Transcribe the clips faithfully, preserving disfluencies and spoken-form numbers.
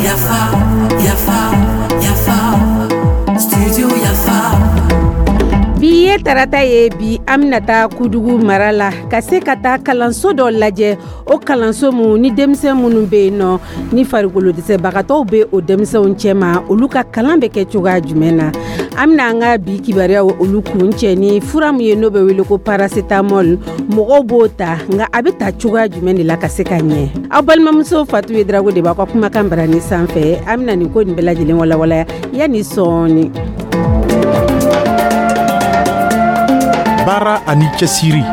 Yafa, Yafa, Yafa, Studio Yafa. Bi ye tarata ye. Bi, an bɛna taa Kudugu mara la ka se ka taa kalanso dɔ lajɛ. O kalanso mun ni denmisɛn minnu bɛ yen nɔ, ni farikolo dɛsɛbagatɔw bɛ o denmisɛnw cɛma, olu ka kalan bɛ kɛ cogoya jumɛn na? An bɛna an ka bi kibaruyaw olu kun cɛ ni fura min ye, n'o bɛ wele ko paracétamol. Mɔgɔw b'o ta, nka a bɛ ta cogoya jumɛn de la ka se ka ɲɛ? Aw balimamuso Fatu ye Darago de b'aw ka kumakan barani sanfɛ. An bɛna nin ko nin bɛɛ lajɛlen walawala yanni sɔɔni. Baara ani cɛsiri.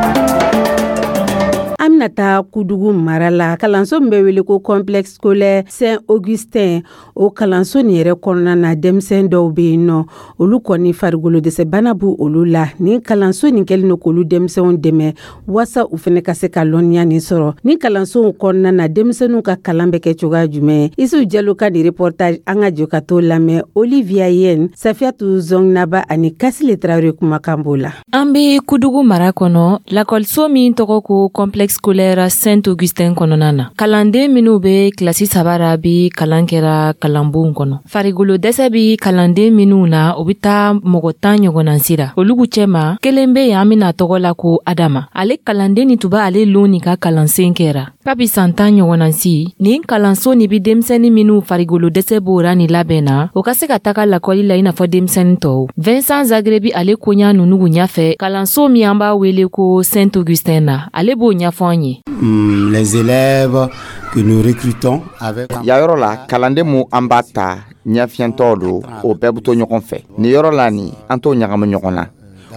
An bɛna taa Kudugu mara la, kalanso min bɛ wele ko Complexe scolaire Saint Augustin. O kalanso nin yɛrɛ kɔnɔna na, denmisɛn dɔw bɛ yen nɔ, olu kɔni farikolo dɛsɛbana b'u olu la. Nin kalanso nin kɛlen don k'olu denmisɛnw dɛmɛ waasa u fana ka se ka lɔnniya nin sɔrɔ. Nin kalansow kɔnɔna na, denmisɛnninw ka kalan bɛ kɛ cogoya jumɛn? Isu Jalo ka nin reportage, an ka jɔ ka t'o lamɛn. Olivia Yen, Safiyatu Zɔngnaba ani Kasile Tarawele kumakan b'o la. An be Kudugu mara kɔnɔ, lakɔliso min tɔgɔ ko Complexe scolaire Saint Augustin kɔnɔna na. Kalanden minw be kilasi saba ra bi kalan kɛra kalanbonw kɔnɔ. Farigolo dɛsɛ bi kalanden minw na, o be taa mɔgɔ tan ɲɔgɔnna sira. Olugu cɛma, kelen be yen, an bena tɔgɔ la ko Adama. Ale kalanden ni tun b'ale lon nin ka kalansen kɛra kabi san tan ɲɔgɔnna si. Nin kalanso nin bi denmisɛni minw farigolo dɛsɛ b'o ra nin labɛn na, o ka se ka taga lakɔli la i n'a fɔ denmisɛni tɔw. Vincent Zagrebi, ale koɲa nunugu ɲafɛ kalanso min an b'a wele ko Saint Augustin na, ale b'o ɲɛfɔ an ye. Mm, les élèves que nous recrutons avec Ya yɔrɔ la, kalanden mu an b'a ta ɲɛfiyɛntɔ don, o bɛɛ bɛ to ɲɔgɔn fɛ nin yɔrɔ la. Nin an t'o ɲagamu ɲɔgɔn na.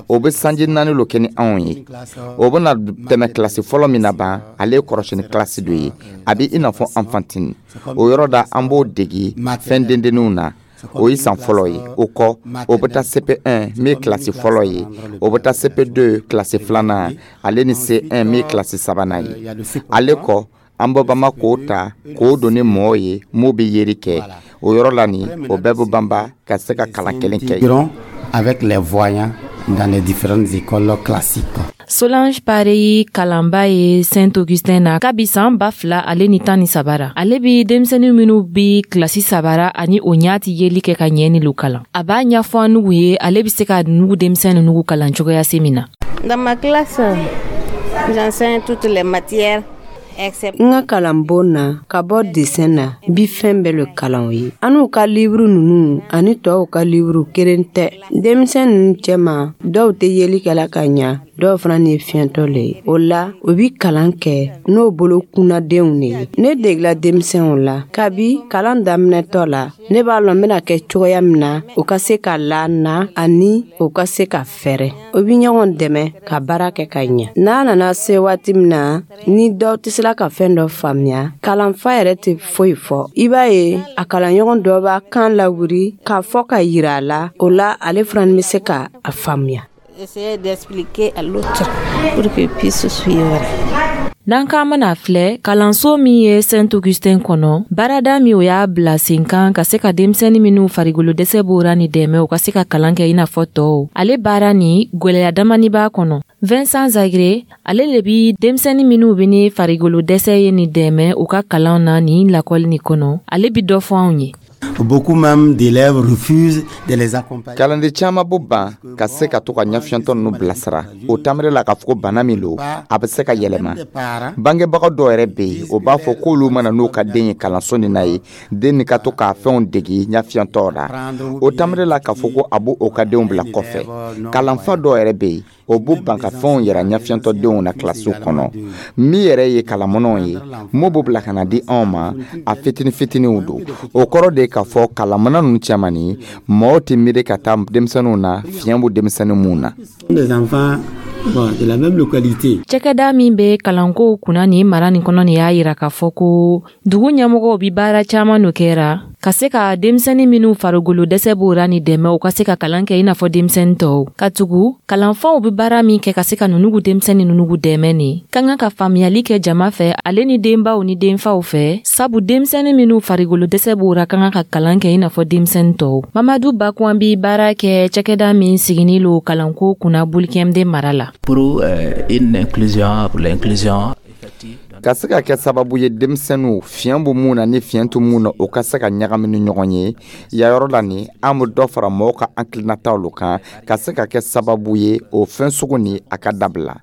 O bɛ sanji naani lo kɛ ni anw ye. O bɛna tɛmɛ kilasi fɔlɔ min na ban, ale ye kɔrɔsini kilasi dɔ ye, a bɛ i n'a fɔ enfantine. O yɔrɔ da, an b'o degi fɛn dendenninw na. O ye san fɔlɔ ye. O kɔ, o bɛ taa C P un min ye kilasi fɔlɔ ye, o bɛ taa C P deux, kilasi filanan, ale ni C un min ye kilasi sabanan ye. Ale kɔ, an bɛ banba k'o ta k'o don ni mɔgɔw ye m'o bɛ yeri kɛ. O yɔrɔ la nin, o bɛɛ bɛ banba ka se ka kalan kelen kɛ. Intégrons avec les voyants dans les différentes écoles classiques. Solange Pareyi kalanba ye Saint Augustin na kabi san ba fila ale ni tan ni saba ra. Ale bi denmisɛnnin minw bi kilasi saba ra ani o ɲa ti yeli kɛ ka ɲɛ ni lo kalan. A b'a ɲɛfɔ an nugu ye, ale bi se ka nugu denmisɛn nugu kalan cogoya se min na. Dans ma classe, j'enseigne toutes les matières excepté N ka kalanbon na, ka bɔ dessin na, n bi fɛn bɛɛ le kalan o ye. An n'u ka liburu nunu ani tɔw ka liburu kelen tɛ. Denmisɛn nunu cɛma, dɔw tɛ yeli kɛla ka ɲa, dɔw fana ni ye fiyɛntɔ le ye. O la, o bi kalan kɛ n'o bolo kunnadenw de ye. Ne degela denmisɛnw la kabi kalan daminɛtɔ la. Ne b'a lɔn n bɛna kɛ cogoya min na, o ka se ka la na ani o ka se ka fɛrɛ. O bi ɲɔgɔn dɛmɛ ka baara kɛ ka ɲa. N'a nana se waati min na ni dɔw tɛ sela ka fɛn dɔ faamuya, kalanfa yɛrɛ tɛ foyi fɔ. I b'a ye, a kalanɲɔgɔn dɔ b'a kan lawuri k'a fɔ ka yira a la. O la, ale fana bɛ se ka a faamuya. Essayer d'expliquer à l'autre pour qu'il puisse suivre. N'an k'an mana filɛ kalanso min ye Saint Augustin kɔnɔ, baarada min o y'a bila sen kan ka se ka denmisɛnnin minw farigolo dɛsɛ b'o ni dɛmɛ u ka se ka kalan kɛ i n'a fɔ tɔw, ale baara ni gwɛlɛya damani b'a kɔnɔ. Vincent Zagre, ale le bi denmisɛnnin minw be ni farigolo dɛsɛ ye ni dɛmɛ u ka kalan na nin lakɔli nin kɔnɔ, ale bi dɔ fɔ anw ye. Beaucoup même d'élèves refusent de les accompagner. Kalanden caman b'o ban ka se ka to ka ɲɛfiyɛntɔ ninnu bilasira. O tamire la k'a fɔ ko bana min lo, a bɛ se ka yɛlɛma. Bangebaga dɔw yɛrɛ bɛ yen, o b'a fɔ k'olu mana n'u ka den ye kalanso nin na ye, den nin ka to k'a fɛnw degi ɲɛfiyɛntɔ la. O tamire la k'a fɔ ko a b'o ka denw bila kɔfɛ. Kalanfa dɔw yɛrɛ bɛ yen, o b'u ban ka fɛnw yira ɲɛfiyɛntɔdenw na kilasiw kɔnɔ. Min yɛrɛ ye kalanminɛnw ye m'o b'o bila ka na di anw ma, a fitini fitiniw don. O kɔrɔ de ye k'a fɔ kalanminɛn ninnu cɛman nin, mɔgɔw tɛ miiri ka taa denmisɛnninw na, fiɲɛ b'u denmisɛnnin mun na. Des enfants, bon, de la même localité. Cɛkɛda min be kalankow kunna nin mara nin kɔnɔ nin y'a yira k'a fɔ ko dugu ɲɛmɔgɔw bi baara caaman no kɛra ka se ka denmisɛnnin minw farigolo dɛsɛ b'o ra ni dɛmɛ u ka se ka kalan kɛ i n'a fɔ denmisɛnnin tɔw. Katugu kalanfaw be baara min kɛ ka se ka nunugu denmisɛnnin nunugu dɛmɛ nin ka kan ka faamuyali kɛ jama fɛ, ale ni denbaw ni denfaw fɛ, sabu denmisɛnnin minw farigolo dɛsɛ b'o ra ka kan ka kalan kɛ i n'a fɔ denmisɛnnin tɔw. Mamadu Bakuan bi baara kɛ cɛkɛda min sigini lo kalanko kunna Bulikɛmde mara la. Pour euh, une inclusion, pour l'inclusion effective. Ka se ka kɛ sababu ye denmisɛnninw, fiɲɛ bɛ mun na ni fiɲɛ tɛ mun na, o ka se ka ɲagami ni ɲɔgɔn ye yan yɔrɔ la nin, an bɛ dɔ fara mɔgɔw ka hakilinataw lo kan ka se ka kɛ sababu ye o fɛn sugu nin a ka dabila.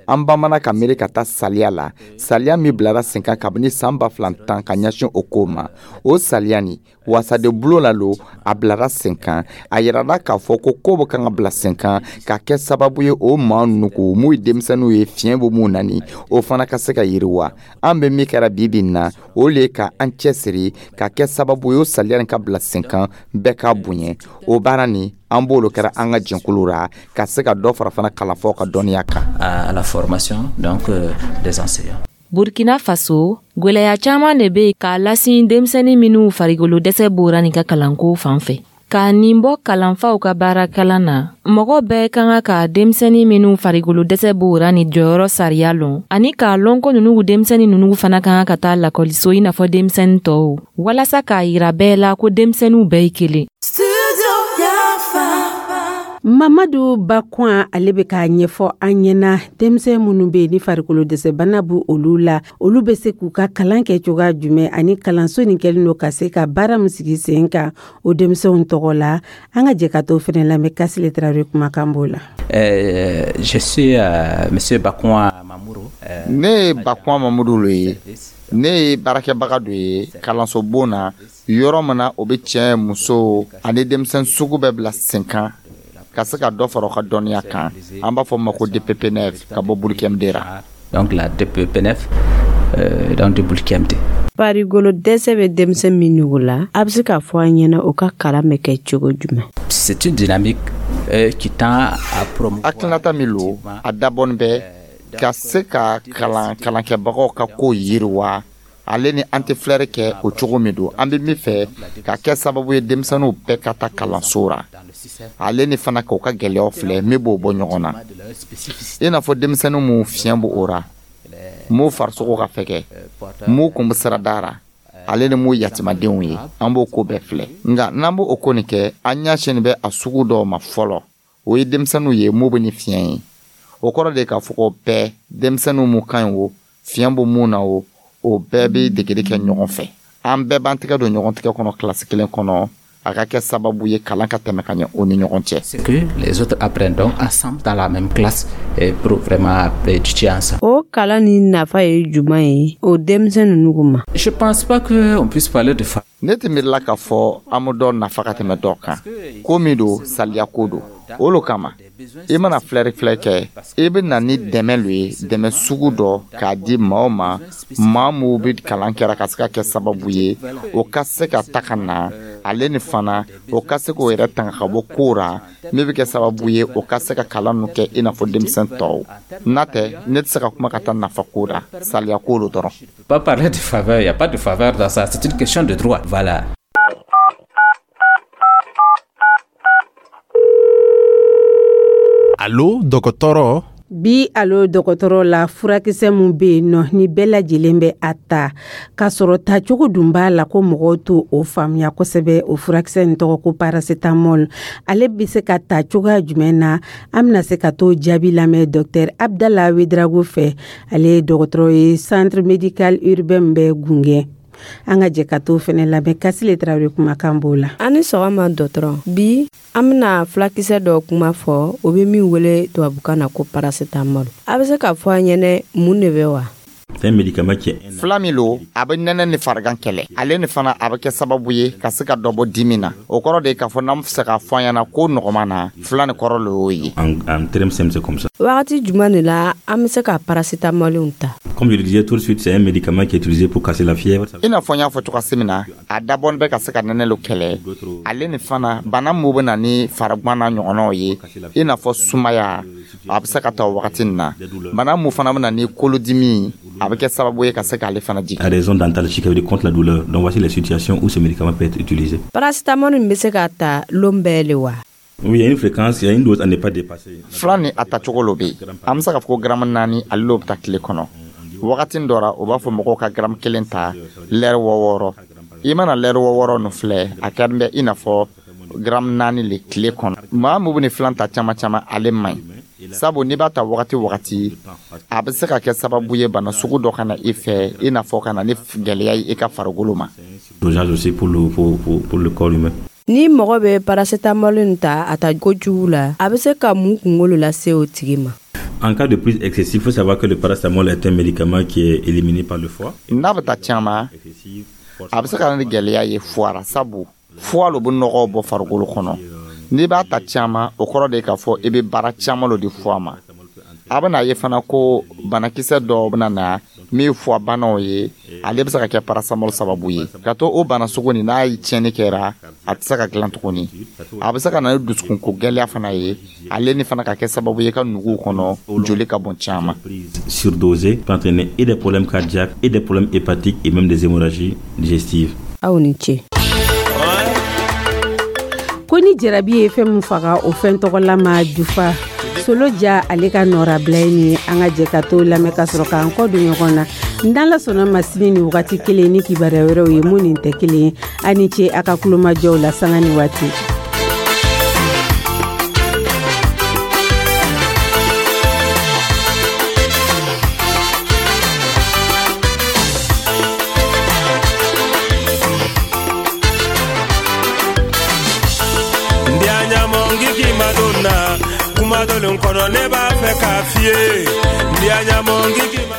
An bamana ka miiri ka taa saliya la, saliya min bilara sen kan kabini san ba fila tan ka ɲɛsin o ko ma. O saliya nin, wasaden bulon la lo a bilara sen kan. A yirala k'a fɔ ko ko bɛ kan ka bila sen kan ka kɛ sababu ye o maa ninnu ko mun ye denmisɛnninw ye, fiɲɛ bɛ mun na nin, o fana ka se ka yiriwa. An bɛ min kɛra bi bi in na, o le ye ka an cɛsiri ka kɛ sababu ye o saliya nin ka bila sen kan, bɛɛ k'a bonya. O baara nin, an b'olu kɛra an ka jɛnkulu ra ka se ka dɔ fara fana kalanfaw ka dɔnniya kan. À la formation donc euh, des enseignants. Burkina Faso, gwɛlɛya caaman de be k'a lasin denmisɛnnin minw farikolo dɛsɛ b'ora nin ka kalanko fan fɛ. K'a nin bɔ kalanfaw ka baarakalan na, mɔgɔ bɛɛ ka kan ka denmisɛnnin minw farikolo dɛsɛ b'ora ni jɔyɔrɔ sariya lɔn, ani k'a lɔn ko nunu denmisɛnnin nunu fana ka kan ka taa lakɔliso i n'a fɔ denmisɛnnin tɔw, walasa k'a yira bɛɛ la ko denmisɛnninw bɛɛ ye kelen. Mamadu Bakwan, ale bɛ k'a ɲɛfɔ an ɲɛna denmisɛn minnu bɛ yen ni farikolo dɛsɛbana b'u olu la, olu bɛ se k'u ka kalan kɛ cogoya jumɛn, ani kalanso nin kɛlen don ka se ka baara min sigi sen kan o denmisɛnw tɔgɔ la. An ka jɛ ka t'o fɛnɛ lamɛn, Kasile Tarawele kumakan b'o la. Euh, je suis euh, monsieur Bakwan Mamourou. Euh, ne ye Bakwan Mamudu lo ye. Ne ye baarakɛbaga dɔ ye kalansobon na, yɔrɔ min na o bɛ cɛ, muso ani denmisɛn sugu bɛɛ bila sen kan ka se ka dɔ fara u ka dɔnniya kan. An b'a fɔ ma ko D P P N F ka bɔ Boulkiemdé ra. Donc la D P P N F euh, donc de Boulkiemdé. Farikolo dɛsɛ bɛ denmisɛn minnu la, a bɛ se k'a fɔ an ɲɛna o ka kalan bɛ kɛ cogo jumɛn? C'est une dynamique euh, qui tend à promouvoir Hakilinata min lo, a dabɔnin bɛ ka se ka kalan kalankɛbagaw ka ko yiriwa. Ale ni an tɛ filɛri kɛ o cogo min don, an bɛ min fɛ ka kɛ sababu ye denmisɛnninw bɛɛ ka taa kalanso ra, ale ni fana k'o ka gɛlɛyaw filɛ min b'o bɔ ɲɔgɔn na, i n'a fɔ denmisɛnnin mun fiɲɛ b'o o ra, m'u farisogo ka fɛgɛ, m'u kun bɛ sirada ra, ale ni m'u yatimadenw ye. An b'o ko bɛɛ filɛ, nka n'an b'o o ko nin kɛ, an ɲɛsin bɛ a sugu dɔw ma fɔlɔ, o ye denmisɛnninw ye mun bɛ ni fiɲɛ ye. O kɔrɔ de ye k'a fɔ ko bɛɛ, denmisɛnninw mun ka ɲi o, fiɲɛ bɛ mun na o, o bɛɛ bɛ degeli kɛ ɲɔgɔn fɛ. An bɛɛ b'an tɛgɛ don ɲɔgɔn tɛgɛ kɔnɔ kilasi kelen kɔnɔ, a ka kɛ sababu ye kalan ka tɛmɛ ka ɲɛ o ni ɲɔgɔn cɛ. C'est que les autres apprennent donc ensemble dans la même classe et pour vraiment étudier ensemble. O kalan ni nafa ye jumɛn ye o denmisɛn ninnu ma? Je pense pas qu'on puisse parler de fa Ne tɛ miirila k'a fɔ an bɛ dɔ nafa ka tɛmɛ dɔ kan. Ko min don, saliya ko don. O lo kama i mana filɛri filɛ kɛ, i bɛ na ni dɛmɛ lo ye, dɛmɛ sugu dɔ k'a di maa o ma, maa minnu bɛ kalan kɛra ka se ka kɛ sababu ye o ka se ka ta ka na, ale ni fana o ka se k'o yɛrɛ tanga ka bɔ ko ra min bɛ kɛ sababu ye o ka se ka kalan ninnu kɛ i n'a fɔ denmisɛn tɔw. N'a tɛ, ne tɛ se ka kuma ka taa nafa ko ra, saliya ko lo dɔrɔn. Pas parler de faveur, il n'y a pas de faveur dans ça, c'est une question de droit. Voilà. Alo dɔgɔtɔrɔ. Bi alo dɔgɔtɔrɔ la, furakisɛ mun bɛ yen nɔ ni bɛɛ lajɛlen bɛ a ta, k'a sɔrɔ tacogo dun b'a la ko mɔgɔw t'o o faamuya kosɛbɛ, o furakisɛ in tɔgɔ ko paracetamol. Ale bɛ se ka ta cogoya jumɛn na? An bɛna se ka t'o jaabi lamɛn docteur Abdala Wedrago fɛ. Ale ye dɔgɔtɔrɔ ye centre médical urbain bɛ Gungɛ. An ka jɛ ka t'o fɛnɛ lamɛn, Kasile Tarawele kumakan b'o la. An ni sɔgɔma dɔgɔtɔrɔ. Bi an bɛna fulakisɛ dɔ kuma fɔ, o bɛ min wele tubabukan na ko paracetamol. A bɛ se k'a fɔ an ɲɛnɛ mun de bɛ wa? C'est un médicament qui est Fila min lo, a bɛ nɛnɛ ni farigan kɛlɛ. Ale ni fana a bɛ kɛ sababu ye ka se ka dɔ bɔ dimi na. O kɔrɔ de ye k'a fɔ n'an bɛ fɛ k'a fɔ an ɲɛna ko nɔgɔman na, fila ni kɔrɔ lo y'o ye. En, en termes simples, c'est comme ça. Wagati jumɛn de la an bɛ se ka paracetamol ta? Comme je le disais tout de suite, c'est un médicament qui est utilisé pour casser la fièvre. I n'a fɔ n y'a fɔ cogoya min na, a dabɔnin bɛ ka se ka nɛnɛ lo kɛlɛ, ale ni fana bana mun bɛ na ni farigwan n'a ɲɔgɔnnaw ye, i n'a fɔ sumaya, a bɛ se ka ta o wagati nin na. Bana mun fana bɛ na ni kolodimi, a bɛ kɛ sababu ye ka se k'ale fana jigin. À raison d'antalgique, ça veut dire contre la douleur. Donc voici les situations où ce médicament peut être utilisé. Paracetamol in bɛ se ka ta lon bɛɛ le wa? Oui, il y a une fréquence, il y a une dose à ne pas dépasser. Fila ni a tacogo lo bɛ yen. An bɛ se k'a fɔ ko garamu naani ale l'o bɛ ta tile kɔnɔ. Wagati dɔ ra, o b'a fɔ mɔgɔw ka garamu kelen ta lɛri wɔɔrɔ. I mana lɛri wɔɔrɔ nin filɛ, a kɛlen bɛ i n'a fɔ garamu naani le tile kɔnɔ. Maa min bɛ nin filan ta caman caman, ale man ɲi. Sabu n'i b'a ta wagati wagati, a bɛ se ka kɛ sababu ye bana sugu dɔ ka na i fɛ, i n'a fɔ ka na ni gɛlɛya ye i ka farikolo ma. Dosage aussi pour le, pour, pour, pour le corps humain. Ni mɔgɔ bɛ paracétamol nin ta a ta kojugu la, a bɛ se ka mun kunkolo lase o tigi ma? En cas de prise excessive, il faut savoir que le paracétamol est un médicament qui est éliminé par le foie. N'a bɛ ta caman, a bɛ se ka na ni gɛlɛya ye foie la, sabu foie lo bɛ nɔgɔw bɔ farikolo kɔnɔ. N'i b'a ta caman, o kɔrɔ de ye k'a fɔ i bɛ baara caman lo di foie ma. A bɛna ye fana ko banakisɛ dɔw bɛna na min ye foie banaw ye, ale bɛ se ka kɛ paracétamol sababu ye ka to o bana sugu nin. N'a ye tiɲɛni kɛra, a tɛ se ka dilan tuguni. A bɛ se ka na ni dusukunko gɛlɛya fana ye, ale ni fana ka kɛ sababu ye ka nuguw kɔnɔ joli ka bɔn caman. Surdosée peut entraîner et des problèmes cardiaques et des problèmes hépatiques et même des hémorragies digestives. Aw ni ce. Ko ni jarabi ye fɛn min faga, o fɛn tɔgɔla ma jufa. Solo ja, ale ka nɔrabila ye nin ye. An ka jɛ ka to lamɛn ka sɔrɔ k'an kɔ don ɲɔgɔn na. N'Ala sɔnna ma, sini ni wagati kelen ni kibaruya wɛrɛw ye mun nin tɛ kelen ye. A ni ce a ka kulomajɔw la sanga ni waati. Kuma dɔlen kɔnɔ, ne b'a fɛ k'a f'i ye, ndiya ɲamɔ ngiki ma.